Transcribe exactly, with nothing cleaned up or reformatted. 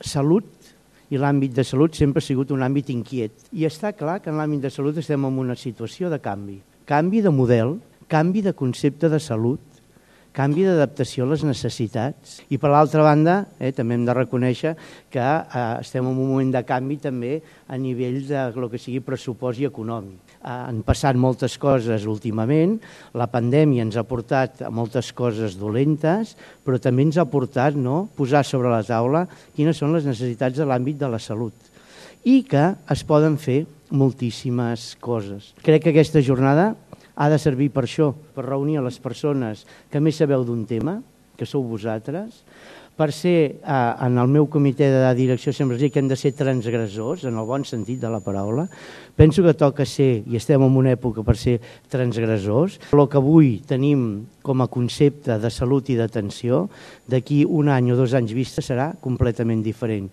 salut i l'àmbit de salut sempre ha sigut un àmbit inquiet. I està clar que en l'àmbit de salut estem en una situació de canvi. Canvi de model, canvi de concepte de salut, canvi d'adaptació a les necessitats. I per l'altra banda, eh, també hem de reconèixer que eh, estem en un moment de canvi també a nivell de lo que sigui pressupost i econòmic. Eh, han passat moltes coses últimament, la pandèmia ens ha portat a moltes coses dolentes, però també ens ha portat no, posar sobre la taula quines són les necessitats de l'àmbit de la salut i que es poden fer moltíssimes coses. Crec que aquesta jornada ha de servir per això, per reunir a les persones que més sabeu d'un tema, que sou vosaltres, per ser, eh, en el meu comitè de direcció sempre dic que hem de ser transgressors, en el bon sentit de la paraula. Penso que toca ser, i estem en una època per ser transgressors. El que avui tenim com a concepte de salut i d'atenció, d'aquí un any o dos anys vista serà completament diferent.